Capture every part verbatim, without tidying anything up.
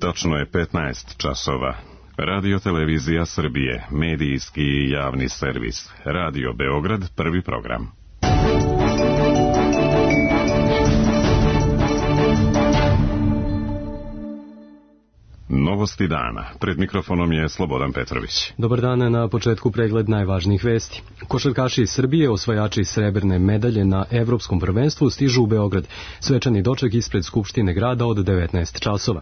Tačno je petnaest časova. Radio Televizija Srbije, medijski i javni servis. Radio Beograd, prvi program. Novosti dana. Pred mikrofonom je Slobodan Petrović. Dobar dan, na početku pregled najvažnijih vesti. Košarkaši iz Srbije, osvajači srebrne medalje na Evropskom prvenstvu, stižu u Beograd. Svečani doček ispred Skupštine grada od devetnaest časova.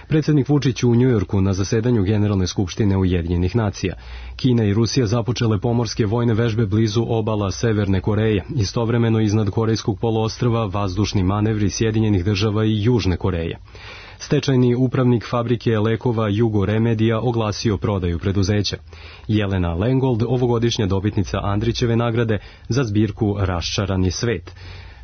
Predsjednik Vučić u Njujorku na zasedanju Generalne skupštine Ujedinjenih nacija. Kina i Rusija započele pomorske vojne vežbe blizu obala Severne Koreje. Istovremeno iznad Korejskog poluostrva vazdušni manevri Sjedinjenih država i Južne Koreje. Stečajni upravnik fabrike lekova Jugo Remedija oglasio prodaju preduzeća. Jelena Lengold, ovogodišnja dobitnica Andrićeve nagrade za zbirku Raščarani svet.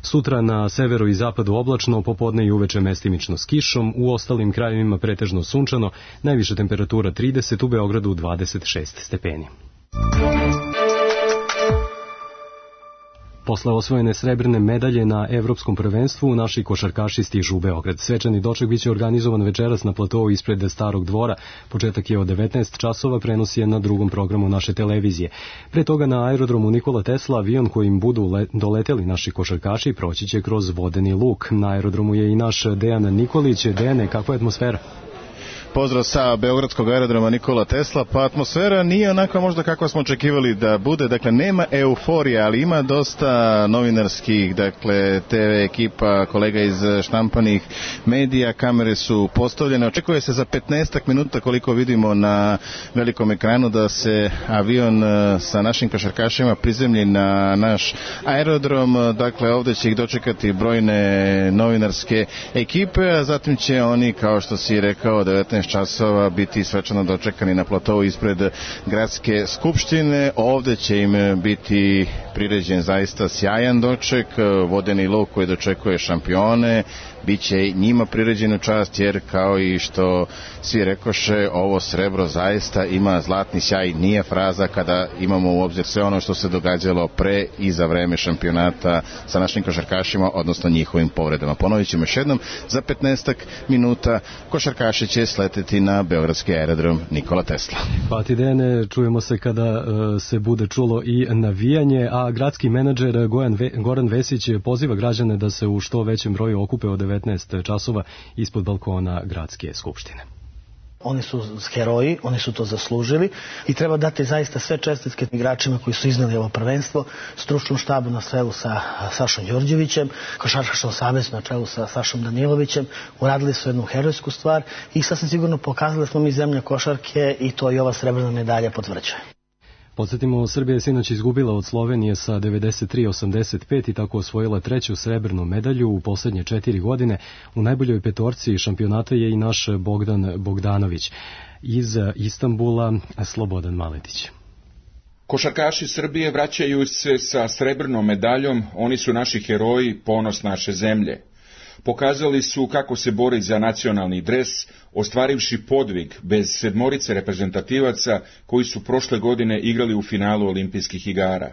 Sutra na severu i zapadu oblačno, popodne i uveče mestimično s kišom, u ostalim krajevima pretežno sunčano, najviša temperatura trideset, u Beogradu dvadeset šest stepeni. Posle osvojene srebrne medalje na Evropskom prvenstvu, naši košarkaši stižu u Beograd. Svečani doček biće organizovan večeras na platovu ispred Starog dvora. Početak je od devetnaest časova, prenos je na drugom programu naše televizije. Pre toga na aerodromu Nikola Tesla avion kojim budu le- doleteli naši košarkaši proći će kroz vodeni luk. Na aerodromu je i naš Dejan Nikolić. Dejane, kakva je atmosfera? Pozdrav sa Beogradskog aerodroma Nikola Tesla. Pa atmosfera nije onako možda kako smo očekivali da bude. Dakle, nema euforije, ali ima dosta novinarskih, dakle, te ve ekipa, kolega iz štampanih medija, kamere su postavljene. Očekuje se za petnaestak minuta, koliko vidimo na velikom ekranu, da se avion sa našim košarkašima prizemlji na naš aerodrom. Dakle, ovdje će ih dočekati brojne novinarske ekipe, a zatim će oni, kao što si rekao, devetnaest časova biti svečano dočekani na platovu ispred Gradske skupštine. Ovdje će im biti priređen zaista sjajan doček, vodeni luk koji dočekuje šampione, bit će njima priređenu čast, jer kao i što svi rekoše, ovo srebro zaista ima zlatni sjaj. Nije fraza kada imamo u obzir sve ono što se događalo pre i za vreme šampionata sa našim košarkašima, odnosno njihovim povredama. Ponovit ćemo još jednom, za petnaestak minuta košarkaši će sleteti na beogradski aerodrom Nikola Tesla. Pa ti, Dejane, čujemo se kada uh, se bude čulo i navijanje, a gradski menadžer Goran, Ve, Goran Vesić poziva građane da se u što većem broju okupe od devetnaest časova ispod balkona Gradske skupštine. Oni su heroji, oni su to zaslužili i treba dati zaista sve čestitke igračima koji su izneli ovo prvenstvo, stručnom štabu na čelu sa Sašom Đorđevićem, košarkaškom savezu na čelu sa Sašom Danilovićem. Uradili su jednu herojsku stvar i sasvim sigurno pokazali da smo mi zemlja košarke i to i ova srebrna medalja potvrđuje. Podsjetimo, Srbija je sinoć izgubila od Slovenije sa devedeset tri osamdeset pet i tako osvojila treću srebrnu medalju u posljednje četiri godine. U najboljoj petorci šampionata je i naš Bogdan Bogdanović. Iz Istanbula, Slobodan Maletić. Košarkaši Srbije vraćaju se sa srebrnom medaljom, oni su naši heroji, ponos naše zemlje. Pokazali su kako se bori za nacionalni dres, ostvarivši podvig bez sedmorice reprezentativaca koji su prošle godine igrali u finalu olimpijskih igara.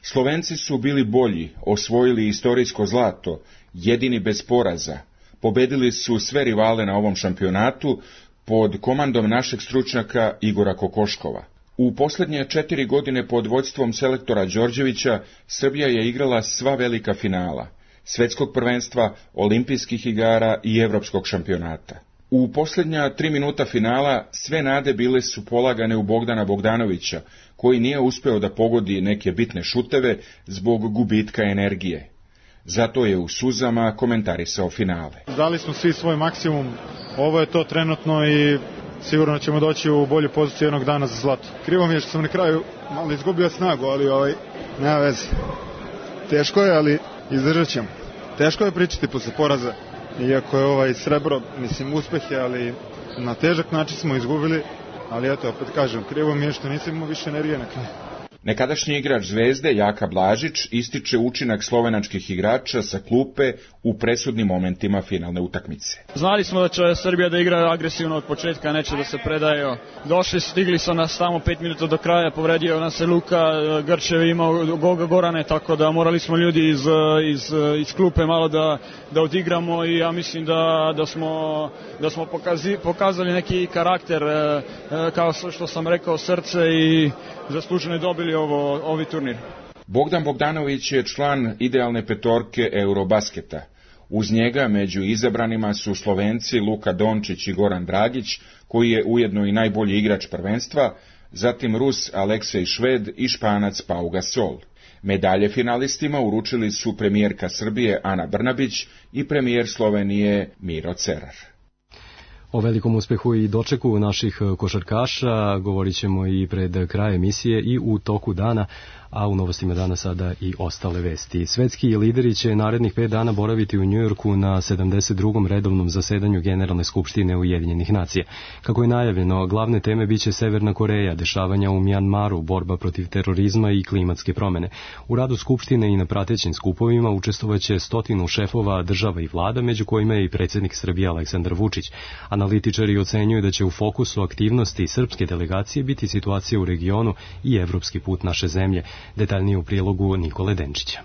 Slovenci su bili bolji, osvojili istorijsko zlato, jedini bez poraza. Pobedili su sve rivale na ovom šampionatu pod komandom našeg stručnjaka Igora Kokoškova. U posljednje četiri godine pod vodstvom selektora Đorđevića Srbija je igrala sva velika finala Svetskog prvenstva, olimpijskih igara i evropskog šampionata. U posljednja tri minuta finala sve nade bile su polagane u Bogdana Bogdanovića, koji nije uspeo da pogodi neke bitne šuteve zbog gubitka energije. Zato je u suzama komentarisao finale. Dali smo svi svoj maksimum, ovo je to trenutno i sigurno ćemo doći u bolju poziciju jednog dana za zlato. Krivo mi je što sam na kraju malo izgubio snagu, ali ovaj, nema veze. Teško je, ali izdržat ćemo. Teško je pričati posle poraza, iako je ovaj srebro, mislim, uspeh je, ali na težak način smo izgubili, ali eto, opet kažem, krivo mi je što nisam imao više energije na kraju. Nekadašnji igrač Zvezde, Jaka Blažić, ističe učinak slovenačkih igrača sa klupe u presudnim momentima finalne utakmice. Znali smo da će Srbija da igra agresivno od početka, neće da se predaje. Došli, stigli su nas samo pet minuta do kraja, povredio nas se Luka, Grčev imao Goga Gorane, tako da morali smo ljudi iz, iz, iz klupe malo da, da odigramo i ja mislim da, da smo, da smo pokazi, pokazali neki karakter, kao što sam rekao, srce i zasluženo dobili ovo, ovi turnir. Bogdan Bogdanović je član idealne petorke Eurobasketa. Uz njega među izabranima su Slovenci Luka Dončić i Goran Dragić, koji je ujedno i najbolji igrač prvenstva, zatim Rus Aleksej Šved i Španac Pau Gasol. Medalje finalistima uručili su premijerka Srbije Ana Brnabić i premijer Slovenije Miro Cerar. O velikom uspehu i dočeku naših košarkaša govorit ćemo i pred kraj emisije i u toku dana, a u novostima dana sada i ostale vesti. Svetski lideri će narednih pet dana boraviti u Njujorku na sedamdeset drugom redovnom zasedanju Generalne skupštine Ujedinjenih nacija. Kako je najavljeno, glavne teme biće Severna Koreja, dešavanja u Mjanmaru, borba protiv terorizma i klimatske promene. U radu skupštine i na pratećim skupovima učestvovaće stotinu šefova država i vlada, među kojima je i predsjednik Srbije Aleksandar Vučić. Analitičari ocenjuju da će u fokusu aktivnosti srpske delegacije biti situacija u regionu i evropski put naše zemlje. Detaljnije u prilogu Nikole Denčića.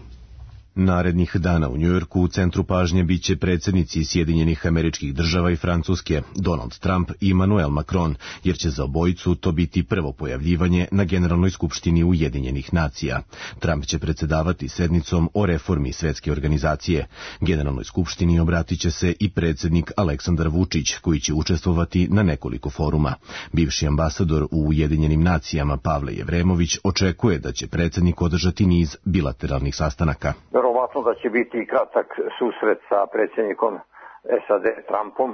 Narednih dana u Njujorku u centru pažnje biće predsjednici Sjedinjenih Američkih Država i Francuske, Donald Trump i Emmanuel Macron, jer će za obojicu to biti prvo pojavljivanje na Generalnoj skupštini Ujedinjenih nacija. Trump će predsjedavati sednicom o reformi Svetske organizacije. Generalnoj skupštini obratit će se i predsjednik Aleksandar Vučić, koji će učestvovati na nekoliko foruma. Bivši ambasador u Ujedinjenim nacijama Pavle Jevremović očekuje da će predsjednik održati niz bilateralnih sastanaka. Verovatno da će biti kratak susret sa predsjednikom S A D Trumpom,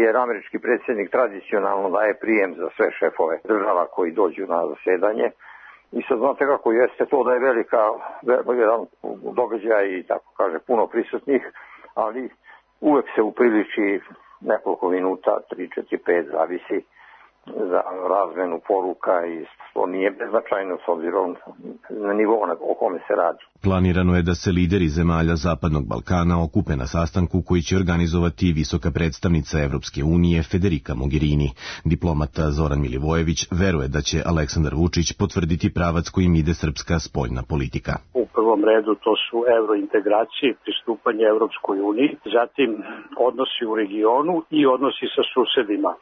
jer američki predsjednik tradicionalno daje prijem za sve šefove država koji dođu na zasedanje. I sad znate kako jeste to da je velika, jedan događaj i tako kaže puno prisutnih, ali uvek se upriliči nekoliko minuta, tri, četiri, pet, zavisi za razmenu poruka i to nije beznačajno s obzirom na nivo o kome se radi. Planirano je da se lideri zemalja Zapadnog Balkana okupe na sastanku koji će organizovati visoka predstavnica Evropske unije Federica Mogherini. Diplomata Zoran Milivojević veruje da će Aleksandar Vučić potvrditi pravac kojim ide srpska spoljna politika. U prvom redu to su evrointegracije, pristupanje Evropskoj uniji, zatim odnosi u regionu i odnosi sa susedima.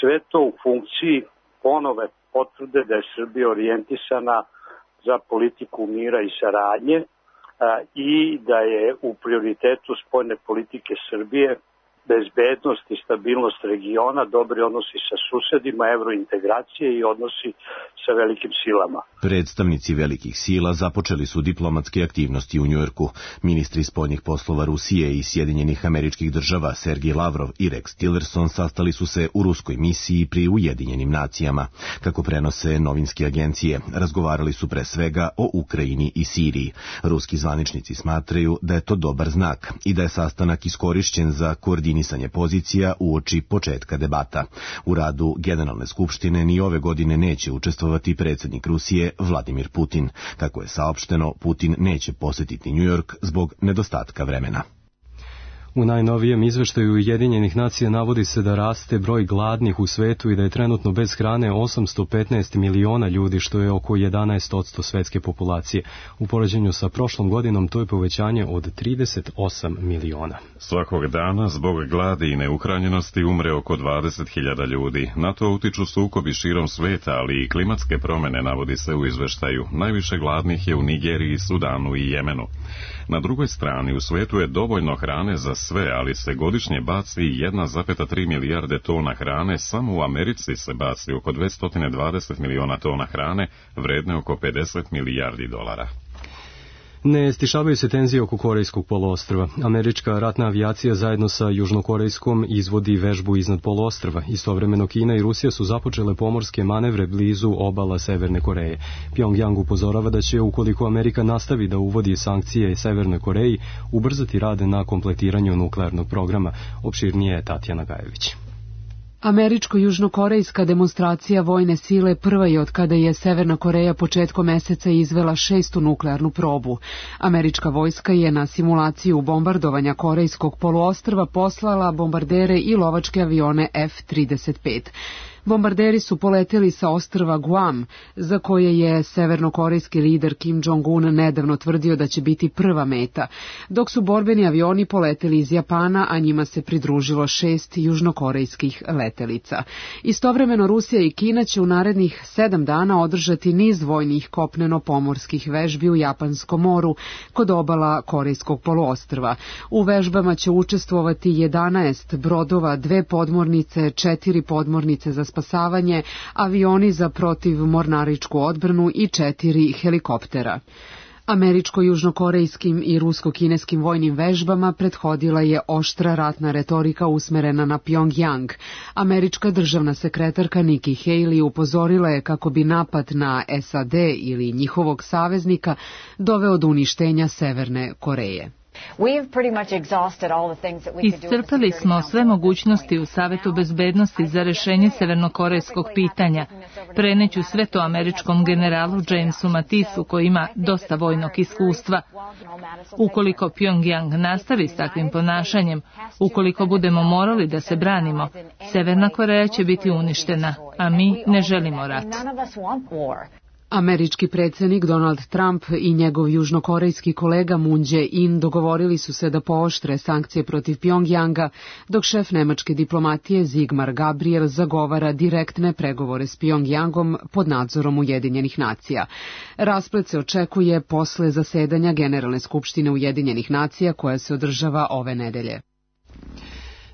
Sve to u funkciji ponove potvrde da je Srbija orijentisana za politiku mira i saradnje a, i da je u prioritetu spoljne politike Srbije bezbednost i stabilnost regiona, dobri odnosi sa susedima, evrointegracije i odnosi sa velikim silama. Predstavnici velikih sila započeli su diplomatske aktivnosti u Njujorku. Ministri spoljnih poslova Rusije i Sjedinjenih Američkih Država Sergej Lavrov i Rex Tillerson sastali su se u ruskoj misiji pri Ujedinjenim nacijama. Kako prenose novinske agencije, razgovarali su pre svega o Ukrajini i Siriji. Ruski zvaničnici smatraju da je to dobar znak i da je sastanak iskorišćen za koordinisanje pozicija uoči početka debata. U radu Generalne skupštine ni ove godine neće učestvovati predsjednik Rusije Vladimir Putin. Kako je saopšteno, Putin neće posjetiti Njujork zbog nedostatka vremena. U najnovijem izveštaju Ujedinjenih nacija navodi se da raste broj gladnih u svetu i da je trenutno bez hrane osamsto petnaest miliona ljudi, što je oko jedanaest posto svetske populacije. U poređenju sa prošlom godinom to je povećanje od trideset osam miliona. Svakog dana zbog gladi i neuhranjenosti umre oko dvadeset hiljada ljudi. Na to utiču sukobi širom sveta, ali i klimatske promene, navodi se u izveštaju. Najviše gladnih je u Nigeriji, Sudanu i Jemenu. Na drugoj strani, u svetu je dovoljno hrane za sve, ali se godišnje baci jedna zarez tri milijarde tona hrane, samo u Americi se baci oko dvesta dvadeset miliona tona hrane, vredne oko pedeset milijardi dolara. Ne stišavaju se tenzije oko Korejskog poluostrva. Američka ratna avijacija zajedno sa Južnokorejskom izvodi vežbu iznad poluostrva. Istovremeno Kina i Rusija su započele pomorske manevre blizu obala Severne Koreje. Pjongjang upozorava da će, ukoliko Amerika nastavi da uvodi sankcije Severnoj Koreji, ubrzati rade na kompletiranju nuklearnog programa. Opširnije je Tatjana Gajević. Američko-južnokorejska demonstracija vojne sile prva je od kada je Severna Koreja početkom meseca izvela šestu nuklearnu probu. Američka vojska je na simulaciju bombardovanja Korejskog poluostrva poslala bombardere i lovačke avione F trideset pet. Bombarderi su poleteli sa ostrva Guam, za koje je severnokorejski lider Kim Jong-un nedavno tvrdio da će biti prva meta, dok su borbeni avioni poleteli iz Japana, a njima se pridružilo šest južnokorejskih letelica. Istovremeno Rusija i Kina će u narednih sedam dana održati niz vojnih kopneno-pomorskih vežbi u Japanskom moru kod obala Korejskog poluostrva. U vežbama će učestvovati jedanaest brodova, dve podmornice, četiri podmornice za spasavanje, avioni za protivmornaričku odbranu i četiri helikoptera. Američko-južnokorejskim i rusko-kineskim vojnim vežbama prethodila je oštra ratna retorika usmerena na Pjongjang. Američka državna sekretarka Nikki Haley upozorila je kako bi napad na S A D ili njihovog saveznika doveo do uništenja Severne Koreje. Iscrpali smo sve mogućnosti u Savetu bezbednosti za rešenje severnokorejskog pitanja. Preneću sve to američkom generalu Jamesu Mattisu, koji ima dosta vojnog iskustva. Ukoliko Pjongjang nastavi s takvim ponašanjem, ukoliko budemo morali da se branimo, Severna Koreja će biti uništena, a mi ne želimo rat. Američki predsjednik Donald Trump i njegov južnokorejski kolega Moon Jae-in dogovorili su se da pooštre sankcije protiv Pjongjanga, dok šef nemačke diplomatije Sigmar Gabriel zagovara direktne pregovore s Pjongjangom pod nadzorom Ujedinjenih nacija. Rasplet se očekuje posle zasedanja Generalne skupštine Ujedinjenih nacija koja se održava ove nedelje.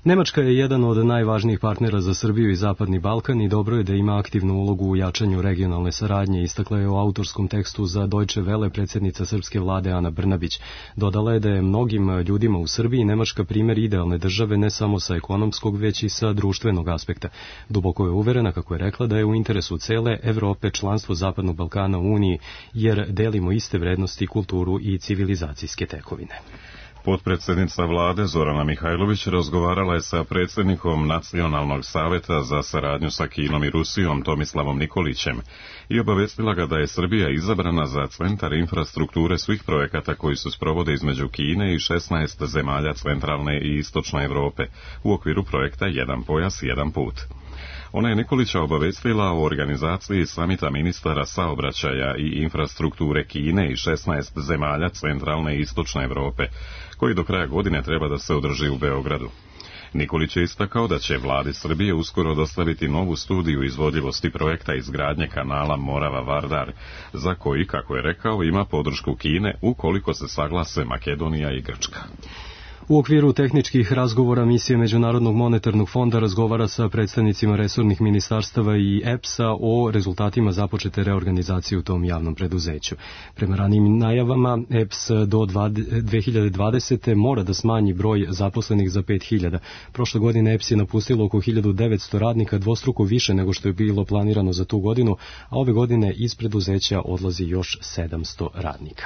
Nemačka je jedan od najvažnijih partnera za Srbiju i Zapadni Balkan i dobro je da ima aktivnu ulogu u jačanju regionalne saradnje, istakla je u autorskom tekstu za Deutsche Welle predsjednica srpske vlade Ana Brnabić. Dodala je da je mnogim ljudima u Srbiji Nemačka primjer idealne države ne samo sa ekonomskog, već i sa društvenog aspekta. Duboko je uverena, kako je rekla, da je u interesu cele Evrope članstvo Zapadnog Balkana u Uniji, jer delimo iste vrednosti, kulturu i civilizacijske tekovine. Potpredsjednica vlade Zorana Mihajlović razgovarala je sa predsjednikom Nacionalnog saveta za saradnju sa Kinom i Rusijom Tomislavom Nikolićem i obavestila ga da je Srbija izabrana za centar infrastrukture svih projekata koji se sprovode između Kine i šesnaest zemalja centralne i istočne Evrope u okviru projekta Jedan pojas, jedan put. Ona je Nikolića obavestila o organizaciji samita ministara saobraćaja i infrastrukture Kine i šesnaest zemalja centralne i istočne Evrope, koji do kraja godine treba da se održi u Beogradu. Nikolić je istakao da će vladi Srbije uskoro dostaviti novu studiju izvodljivosti projekta izgradnje kanala Morava-Vardar, za koji, kako je rekao, ima podršku Kine ukoliko se saglase Makedonija i Grčka. U okviru tehničkih razgovora misije Međunarodnog monetarnog fonda razgovara sa predstavnicima resornih ministarstava i E P S-a o rezultatima započete reorganizacije u tom javnom preduzeću. Prema ranijim najavama, E P S do dve hiljade dvadesete. mora da smanji broj zaposlenih za pet hiljada. Prošle godine E P S je napustilo oko hiljadu devetsto radnika, dvostruko više nego što je bilo planirano za tu godinu, a ove godine iz preduzeća odlazi još sedamsto radnika.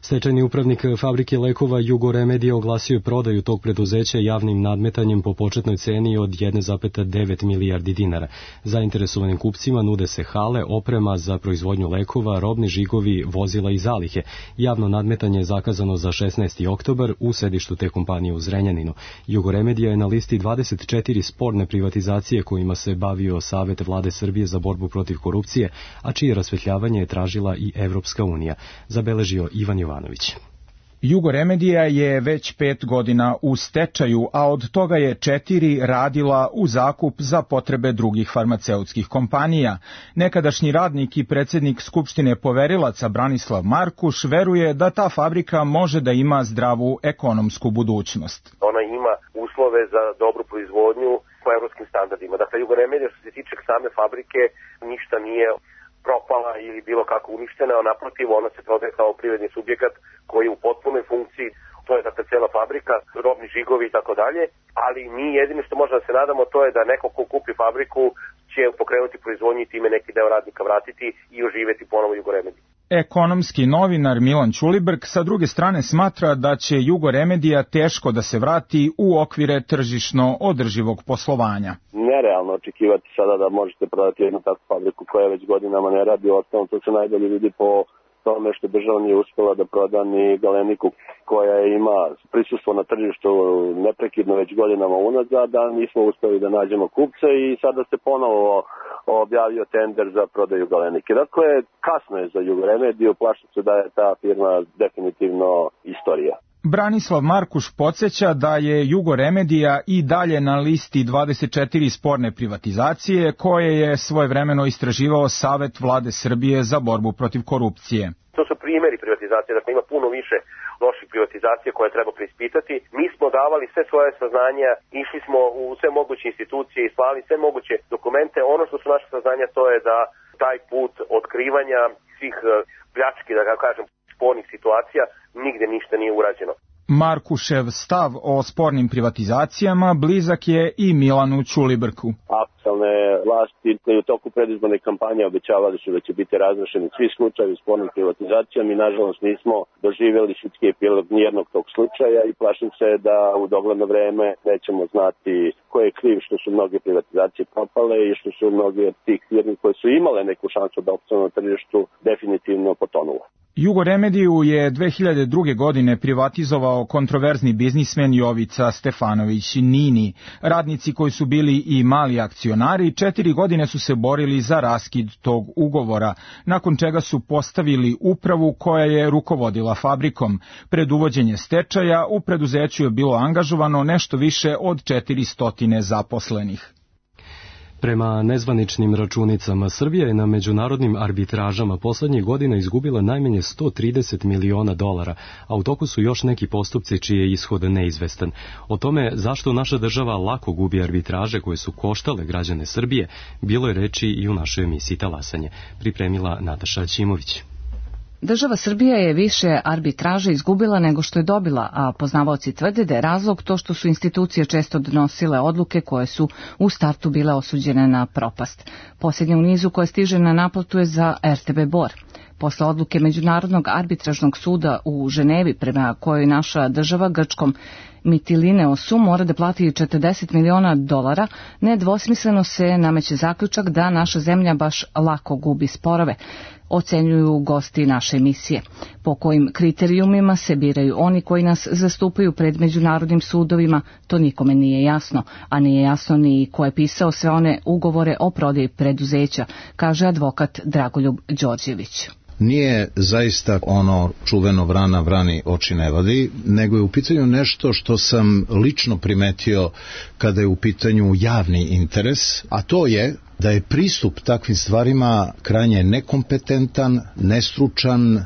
Stečajni upravnik fabrike lekova Jugoremedija oglasio je prodaju tog preduzeća javnim nadmetanjem po početnoj ceni od jedan zarez devet milijardi dinara. Zainteresovanim kupcima nude se hale, oprema za proizvodnju lekova, robni žigovi, vozila i zalihe. Javno nadmetanje je zakazano za šesnaesti oktobar u sedištu te kompanije u Zrenjaninu. Jugoremedija je na listi dvadeset četiri sporne privatizacije kojima se bavio Savet vlade Srbije za borbu protiv korupcije, a čije rasvetljavanje je tražila i Evropska unija, zabeležio Ivan Jovanović. Jugoremedija je već pet godina u stečaju, a od toga je četiri radila u zakup za potrebe drugih farmaceutskih kompanija. Nekadašnji radnik i predsjednik Skupštine poverilaca Branislav Markuš veruje da ta fabrika može da ima zdravu ekonomsku budućnost. Ona ima uslove za dobru proizvodnju po evropskim standardima. Dakle, Jugoremedija što se tiče same fabrike ništa nije propala ili bilo kako uništena, a naprotiv ona se prodaje kao privredni subjekat koji je u potpunoj funkciji, to je dakle cijela fabrika, robni žigovi i tako dalje, ali mi jedino što možemo da se nadamo to je da neko ko kupi fabriku će pokrenuti proizvodnju i time neki deo radnika vratiti i oživjeti ponovo Jugoremediju. Ekonomski novinar Milan Ćulibrk sa druge strane smatra da će Jugoremedija teško da se vrati u okvire tržišno održivog poslovanja. Nerealno očekivati sada da možete prodati jednu takvu fabriku koja već godinama ne radi, ostalom to se najbolje vidi po tome što država nije uspela da proda ni Galeniku koja ima prisustvo na tržištu neprekidno već godinama unazad, da nismo uspeli da nađemo kupce i sada se ponovo objavio tender za prodaju Galenike. Dakle, kasno je za Jugoremediju, plašim se da je ta firma definitivno istorija. Branislav Markuš podsjeća da je Jugoremedija i dalje na listi dvadeset četiri sporne privatizacije koje je svojevremeno istraživao Savet Vlade Srbije za borbu protiv korupcije. To su primjeri privatizacije, dakle ima puno više loših privatizacija koje treba preispitati. Mi smo davali sve svoje saznanja, išli smo u sve moguće institucije i slali sve moguće dokumente. Ono što su naše saznanja to je da taj put otkrivanja svih pljački, da ga kažem, spornih situacija, nigde ništa nije urađeno. Markušev stav o spornim privatizacijama blizak je i Milanu Ćulibrku. Aktualne vlasti koji u toku predizborne kampanje obećavali su da će biti razrešeni svi slučajevi spornih privatizacija. Mi nažalost nismo doživjeli sudski epilog nijednog tog slučaja i plašim se da u dogledno vreme nećemo znati ko je kriv što su mnoge privatizacije propale i što su mnoge od tih firmi koje su imale neku šansu da opstanu na tržištu definitivno potonule. Jugoremediju je dve hiljade druge. godine privatizovao kontroverzni biznismen Jovica Stefanović Nini. Radnici koji su bili i mali akcionari četiri godine su se borili za raskid tog ugovora, nakon čega su postavili upravu koja je rukovodila fabrikom. Pred uvođenje stečaja u preduzeću je bilo angažovano nešto više od četiristo zaposlenih. Prema nezvaničnim računicama, Srbija je na međunarodnim arbitražama poslednjih godina izgubila najmanje sto trideset miliona dolara, a u toku su još neki postupci čiji je ishod neizvestan. O tome zašto naša država lako gubi arbitraže koje su koštale građane Srbije, bilo je reči i u našoj emisiji Talasanje. Pripremila Nataša Ćimović. Država Srbija je više arbitraže izgubila nego što je dobila, a poznavaoci tvrde da je razlog to što su institucije često donosile odluke koje su u startu bile osuđene na propast. Posljednja u nizu koja stiže na naplatu je za er te be Bor. Posle odluke Međunarodnog arbitražnog suda u Ženevi, prema kojoj naša država Grčkom Mytilineosu mora da plati četrdeset miliona dolara, nedvosmisleno se nameće zaključak da naša zemlja baš lako gubi sporove, ocenjuju gosti naše emisije. Po kojim kriterijumima se biraju oni koji nas zastupaju pred međunarodnim sudovima, to nikome nije jasno, a nije jasno ni ko je pisao sve one ugovore o prodaji preduzeća, kaže advokat Dragoljub Đorđević. Nije zaista ono čuveno vrana vrani oči ne vadi, nego je u pitanju nešto što sam lično primetio kada je u pitanju javni interes, a to je da je pristup takvim stvarima krajnje nekompetentan, nestručan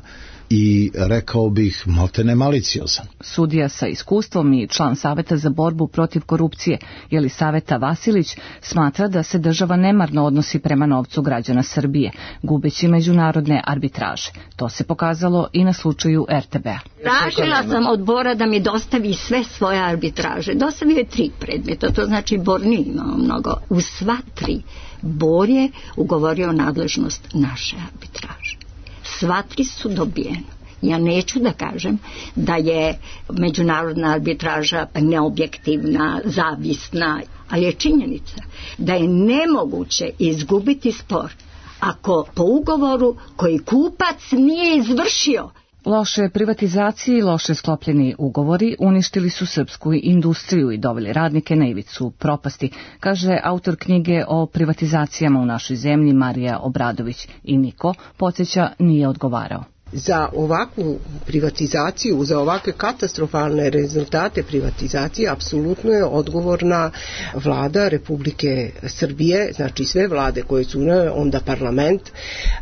i, rekao bih, maltene maliciozan. Sudija sa iskustvom i član Saveta za borbu protiv korupcije, Jelisaveta Vasilić, smatra da se država nemarno odnosi prema novcu građana Srbije, gubeći međunarodne arbitraže. To se pokazalo i na slučaju er te be-a. Tražila sam od Bora da mi dostavi sve svoje arbitraže. Dostavio je tri predmeta, to znači Bor nije imao mnogo. U sva tri Bor je ugovorio nadležnost naše arbitraže. Sva tri su dobijene. Ja neću da kažem da je međunarodna arbitraža neobjektivna, zavisna, ali je činjenica da je nemoguće izgubiti spor ako po ugovoru koji kupac nije izvršio. Loše privatizacije i loše sklopljeni ugovori uništili su srpsku industriju i doveli radnike na ivicu propasti, kaže autor knjige o privatizacijama u našoj zemlji Marija Obradović, i niko, podsjeća, nije odgovarao. Za ovakvu privatizaciju, za ovakve katastrofalne rezultate privatizacije apsolutno je odgovorna vlada Republike Srbije, znači sve vlade koje su onda parlament,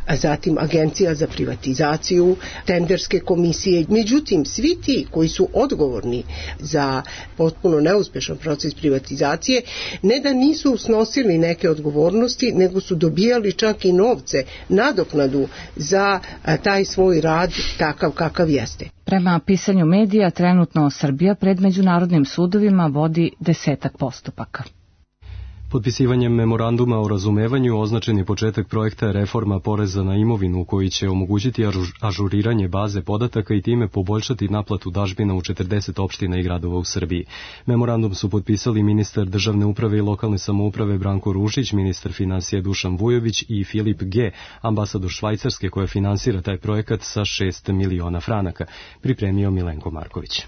a zatim agencija za privatizaciju, tenderske komisije. Međutim, svi ti koji su odgovorni za potpuno neuspešan proces privatizacije, ne da nisu snosili neke odgovornosti, nego su dobijali čak i novce, nadoknadu za taj svoj rad takav kakav jeste. Prema pisanju medija, trenutno Srbija pred međunarodnim sudovima vodi desetak postupaka. Potpisivanjem memoranduma o razumevanju označen je početak projekta reforma poreza na imovinu koji će omogućiti ažuriranje baze podataka i time poboljšati naplatu dažbina u četrdeset opština i gradova u Srbiji. Memorandum su potpisali ministar državne uprave i lokalne samouprave Branko Ružić, ministar finansija Dušan Vujović i Filip G., ambasador Švajcarske koja finansira taj projekat sa šest miliona franaka, pripremio Milenko Marković.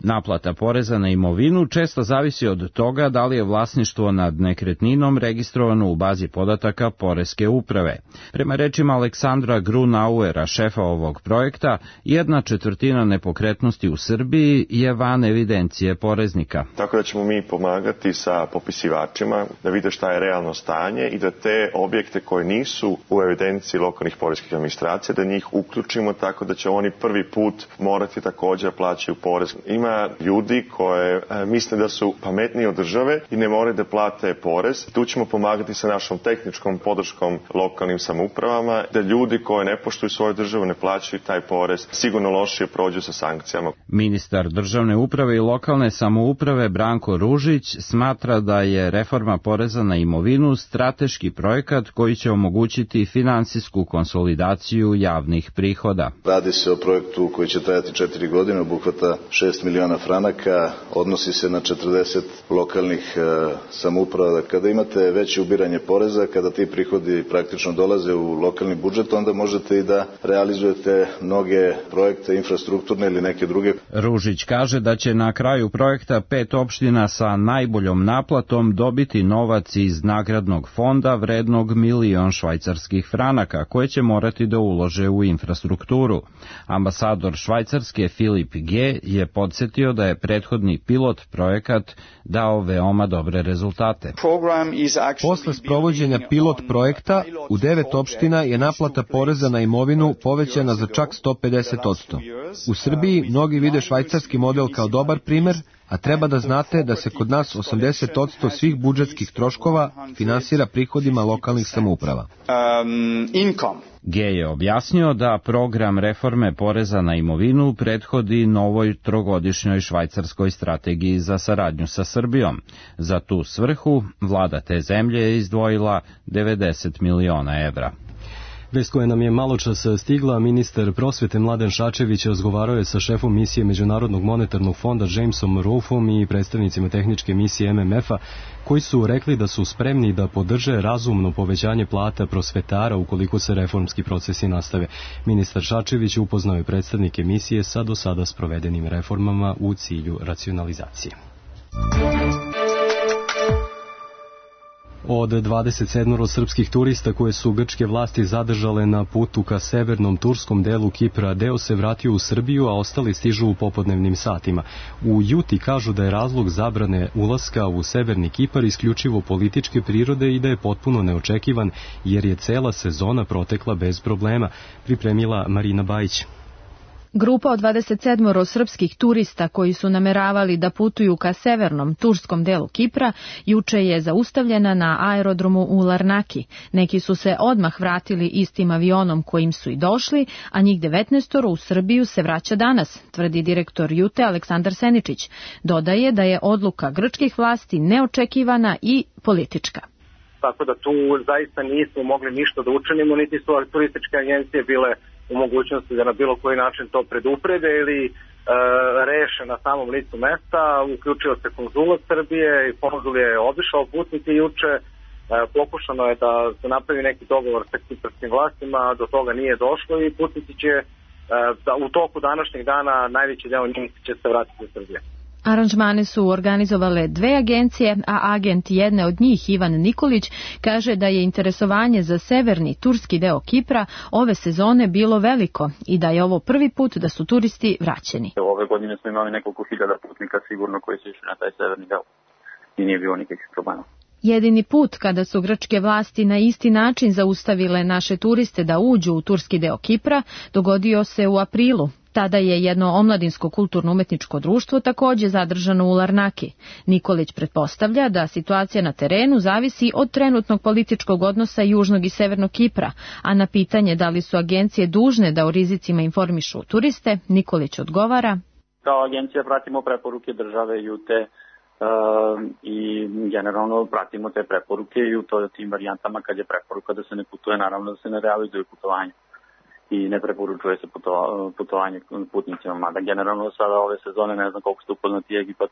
Naplata poreza na imovinu često zavisi od toga da li je vlasništvo nad nekretninom registrovano u bazi podataka Poreske uprave. Prema rečima Aleksandra Grunauera, šefa ovog projekta, jedna četvrtina nepokretnosti u Srbiji je van evidencije poreznika. Tako da ćemo mi pomagati sa popisivačima da vide šta je realno stanje i da te objekte koji nisu u evidenciji lokalnih poreskih administracija, da njih uključimo tako da će oni prvi put morati također plaćaju porez. Ima ljudi koje e, misle da su pametniji od države i ne moraju da plate porez. Tu ćemo pomagati sa našom tehničkom podrškom lokalnim samoupravama, da ljudi koji ne poštuju svoju državu, ne plaćaju taj porez, sigurno lošije prođu sa sankcijama. Ministar državne uprave i lokalne samouprave Branko Ružić smatra da je reforma poreza na imovinu strateški projekat koji će omogućiti finansijsku konsolidaciju javnih prihoda. Radi se o projektu koji će trajati četiri godine, obuhvata šest miliona franaka, odnosi se na četrdeset lokalnih e, samouprava. Kada imate veće ubiranje poreza, kada ti prihodi praktično dolaze u lokalni budžet, onda možete i da realizujete mnoge projekte infrastrukturne ili neke druge. Ružić kaže da će na kraju projekta pet opština sa najboljom naplatom dobiti novac iz nagradnog fonda vrednog milion švajcarskih franaka, koje će morati da ulože u infrastrukturu. Ambasador Švajcarske Filip G. je podsjetio da je prethodni pilot projekat dao veoma dobre rezultate. Posle sprovođenja pilot projekta u devet opština je naplata poreza na imovinu povećana za čak sto pedeset posto. U Srbiji mnogi vide švajcarski model kao dobar primer, a treba da znate da se kod nas osamdeset posto svih budžetskih troškova finansira prihodima lokalnih samouprava. G. je objasnio da program reforme poreza na imovinu prethodi novoj trogodišnjoj švajcarskoj strategiji za saradnju sa Srbijom. Za tu svrhu vlada te zemlje je izdvojila devedeset miliona evra. Vest koja nam je maločas stigla, ministar prosvete Mladen Šačević razgovarao je sa šefom misije Međunarodnog monetarnog fonda Jamesom Rolfom i predstavnicima tehničke misije M M F-a, koji su rekli da su spremni da podrže razumno povećanje plata prosvetara ukoliko se reformski procesi nastave. Ministar Šačević upoznao je predstavnike misije sa do sada sprovedenim reformama u cilju racionalizacije. Od dvadeset sedam srpskih turista koje su grčke vlasti zadržale na putu ka severnom turskom delu Kipra, deo se vratio u Srbiju, a ostali stižu u popodnevnim satima. U Juti kažu da je razlog zabrane ulaska u severni Kipar isključivo političke prirode i da je potpuno neočekivan, jer je cela sezona protekla bez problema, pripremila Marina Bajić. Grupa od dvadeset sedam srpskih turista koji su nameravali da putuju ka severnom turskom delu Kipra juče je zaustavljena na aerodromu u Larnaki. Neki su se odmah vratili istim avionom kojim su i došli, a njih devetnaest u Srbiju se vraća danas, tvrdi direktor Jute Aleksandar Seničić. Dodaje da je odluka grčkih vlasti neočekivana i politička. Tako da tu zaista nismo mogli ništa da učinimo, niti su turističke agencije bile u mogućnosti da na bilo koji način to preduprede ili e, reše na samom licu mesta. Uključio se konzulat Srbije i konzul je obišao putnike juče. E, pokušano je da se napravi neki dogovor sa kiparskim vlastima, do toga nije došlo i putnici će e, da u toku današnjeg dana najveći deo njih će se vratiti u Srbiju. Aranžmane su organizovale dve agencije, a agent jedne od njih, Ivan Nikolić, kaže da je interesovanje za severni turski deo Kipra ove sezone bilo veliko i da je ovo prvi put da su turisti vraćeni. Ove godine smo imali nekoliko hiljada putnika sigurno koji su išli na taj severni deo i nije bilo nikakvih problema. Jedini put kada su grčke vlasti na isti način zaustavile naše turiste da uđu u turski deo Kipra dogodio se u aprilu. Tada je jedno omladinsko kulturno-umetničko društvo takođe zadržano u Larnaki. Nikolić pretpostavlja da situacija na terenu zavisi od trenutnog političkog odnosa Južnog i Severnog Kipra, a na pitanje da li su agencije dužne da o rizicima informišu turiste, Nikolić odgovara: Kao agencija pratimo preporuke države Jute i generalno pratimo te preporuke i u to, tim varijantama kad je preporuka da se ne putuje, naravno da se ne realizuje putovanje i ne preporučuje se putovanje putnicima, mada generalno sada ove sezone, ne znam koliko ste upoznati, Egipat,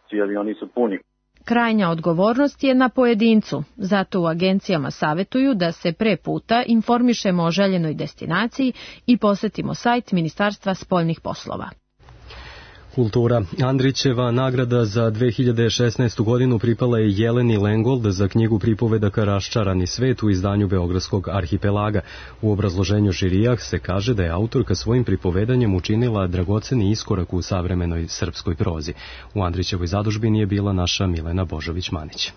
svi avioni su puni. Krajnja odgovornost je na pojedincu, zato u agencijama savetuju da se pre puta informišemo o željenoj destinaciji i posetimo sajt Ministarstva spoljnih poslova. Kultura. Andrićeva nagrada za dve hiljade šesnaestu godinu pripala je Jeleni Lengold za knjigu pripovedaka Raščarani svet u izdanju Beogradskog arhipelaga. U obrazloženju žirija se kaže da je autorka svojim pripovedanjem učinila dragoceni iskorak u savremenoj srpskoj prozi. U Andrićevoj zadužbini je bila naša Milena Božović-Manić.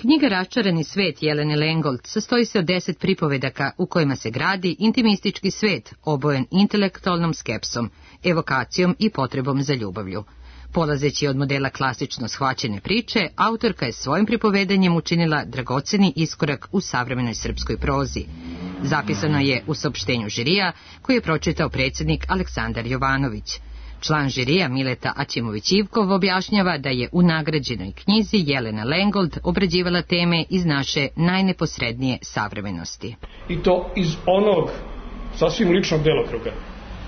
Knjiga Raščarani svet Jelene Lengold sastoji se od deset pripovedaka u kojima se gradi intimistički svet obojen intelektualnom skepsom, evokacijom i potrebom za ljubavlju. Polazeći od modela klasično shvaćene priče, autorka je svojim pripovedanjem učinila dragoceni iskorak u savremenoj srpskoj prozi. Zapisano je u saopštenju žirija koji je pročitao predsjednik Aleksandar Jovanović. Član žirija Mileta Aćimović-Ivkov objašnjava da je u nagrađenoj knjizi Jelena Lengold obrađivala teme iz naše najneposrednije savremenosti. I to iz onog sasvim ličnog delokruga.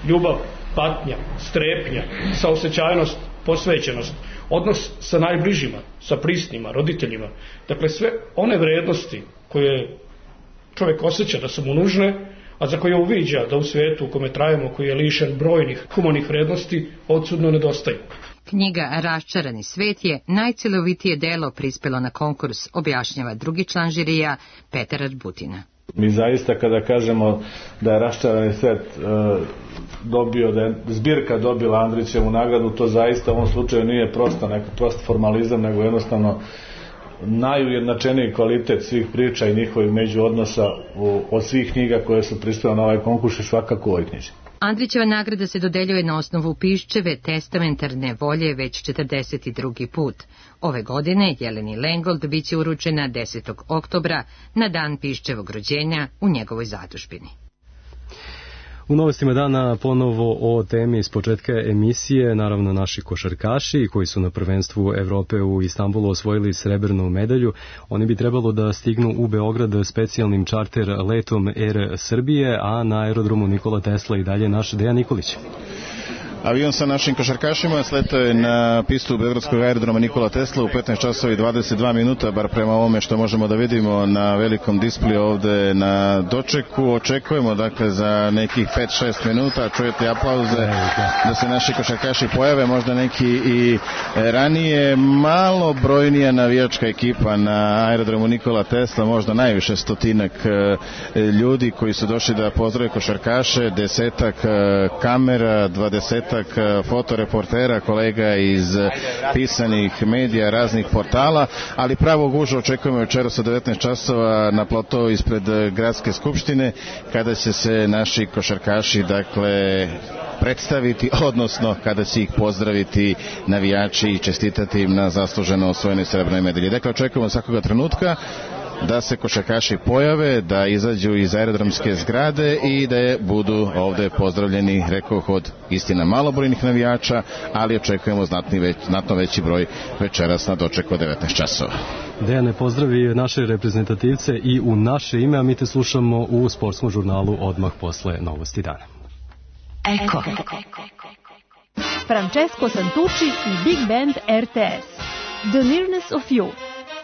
Ljubav, patnja, strepnja, saosećajnost, posvećenost, odnos sa najbližima, sa prisnima, roditeljima. Dakle, sve one vrednosti koje čovjek osjeća da su mu nužne, a za koje uviđa da u svijetu u kome trajemo, koji je lišen brojnih humanih vrednosti, odsudno nedostaju. Knjiga Raščarani svet je najcelovitije delo prispelo na konkurs, objašnjava drugi član žirija Petar Arbutina. Mi zaista kada kažemo da je Raščarani svet e, dobio, da je zbirka dobila Andrićevu nagradu, to zaista u ovom slučaju nije prosto, neko prost formalizam, nego jednostavno najujednačeniji kvalitet svih priča i njihovih međuodnosa u, od svih knjiga koje su prispjele na ovaj konkurs i svakako u ovoj knjiži. Andrićeva nagrada se dodeljuje na osnovu Piščeve testamentarne volje već četrdeset drugi put. Ove godine Jeleni Lengold biće uručena desetog oktobra na dan Piščevog rođenja u njegovoj zadužbini. U novostima dana ponovo o temi iz početka emisije, naravno naši košarkaši koji su na prvenstvu Evrope u Istanbulu osvojili srebrnu medalju. Oni bi trebalo da stignu u Beograd specijalnim čarter letom Air Srbije, a na aerodromu Nikola Tesla i dalje naš Dejan Nikolić. Avion sa našim košarkašima sletao je na pistu beogradskog aerodroma Nikola Tesla u petnaest časova i dvadeset dva minuta, bar prema ovome što možemo da vidimo na velikom displeju ovde na dočeku. Očekujemo dakle za nekih pet šest minuta, čujete aplauze da se naši košarkaši pojave, možda neki i ranije. Malo brojnija navijačka ekipa na aerodromu Nikola Tesla, možda najviše stotinak ljudi koji su došli da pozdrave košarkaše, desetak kamera, dvadeset fotoreportera, kolega iz pisanih medija, raznih portala, ali pravo gužu očekujemo večeras od devetnaest časova na platou ispred Gradske skupštine, kada će se naši košarkaši dakle predstaviti, odnosno kada će ih pozdraviti navijači i čestitati im na zasluženo osvojenoj srebrnoj medalji. Dakle, očekujemo svakoga trenutka da se košarkaši pojave, da izađu iz aerodromske zgrade i da budu ovde pozdravljeni, rekoh, od istina malobrojnih navijača, ali očekujemo znatni već, znatno veći broj večeras na dočeku od devetnaest časova. Dejane, pozdravi naše reprezentativce i u naše ime, a mi te slušamo u sportskom žurnalu odmah posle novosti dana. Eko. Francesco Santucci i Big Band R T S. The Nearness of You.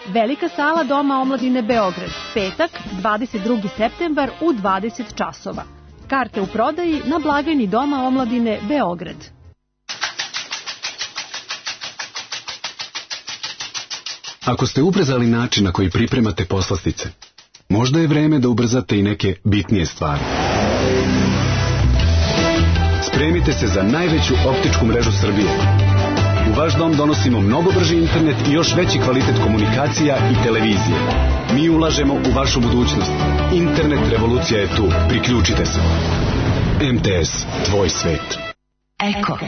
Velika sala Doma omladine Beograd, petak, dvadeset drugi septembar u dvadeset časova. Karte u prodaji na blagajni Doma omladine Beograd. Ako ste ubrzali način na koji pripremate poslastice, možda je vreme da ubrzate i neke bitnije stvari. Spremite se za najveću optičku mrežu Srbije. U vaš dom donosimo mnogo brži internet i još veći kvalitet komunikacija i televizije. Mi ulažemo u vašu budućnost. Internet revolucija je tu. Priključite se. M T S, tvoj svet. Eko.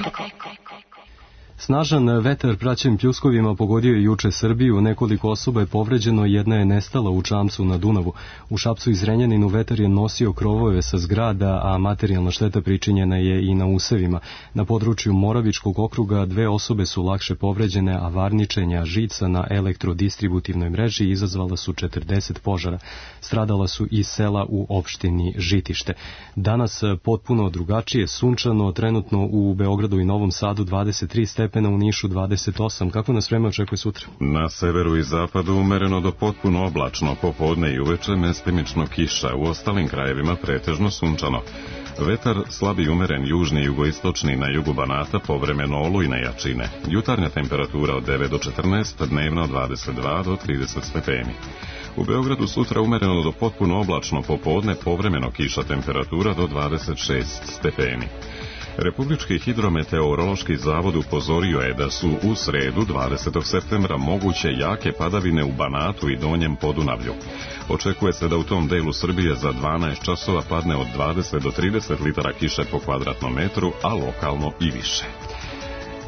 Snažan vetar praćen pljuskovima pogodio je juče Srbiju, nekoliko osoba je povređeno, jedna je nestala u Čamcu na Dunavu. U Šapcu i Zrenjaninu vetar je nosio krovove sa zgrada, a materijalna šteta pričinjena je i na usevima. Na području Moravičkog okruga dve osobe su lakše povređene, a varničenja žica na elektrodistributivnoj mreži izazvala su četrdeset požara. Stradala su i sela u opštini Žitište. Danas potpuno drugačije, sunčano, trenutno u Beogradu i Novom Sadu dvadeset tri stepena, u Nišu dvadeset osam. Kako nas vreme očekuje sutra? Na severu i zapadu umereno do potpuno oblačno, popodne i uveče mestimično kiša, u ostalim krajevima pretežno sunčano. Vetar slab i umeren južni i jugoistočni, na jugu Banata povremeno olujne jačine. Jutarnja temperatura od devet do četrnaest, dnevna od dvadeset dva do trideset stepeni. U Beogradu sutra umereno do potpuno oblačno, popodne povremeno kiša, temperatura do dvadeset šest stepeni. Republički hidrometeorološki zavod upozorio je da su u sredu dvadesetog septembra moguće jake padavine u Banatu i Donjem Podunavlju. Očekuje se da u tom delu Srbije za dvanaest časova padne od dvadeset do trideset litara kiše po kvadratnom metru, a lokalno i više.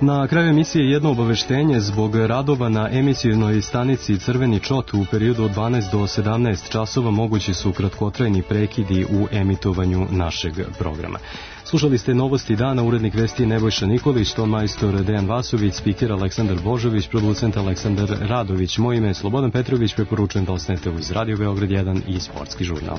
Na kraju emisije jedno obaveštenje: zbog radova na emisijonoj stanici Crveni čot u periodu od dvanaest do sedamnaest časova mogući su kratkotrajni prekidi u emitovanju našeg programa. Slušali ste Novosti dana, urednik vesti Nebojša Nikolić, ton majstor Dejan Vasović, spiker Aleksandar Božović, producent Aleksandar Radović. Moje ime je Slobodan Petrović, preporučujem da ostanete uz Radio Beograd jedan i Sportski žurnal.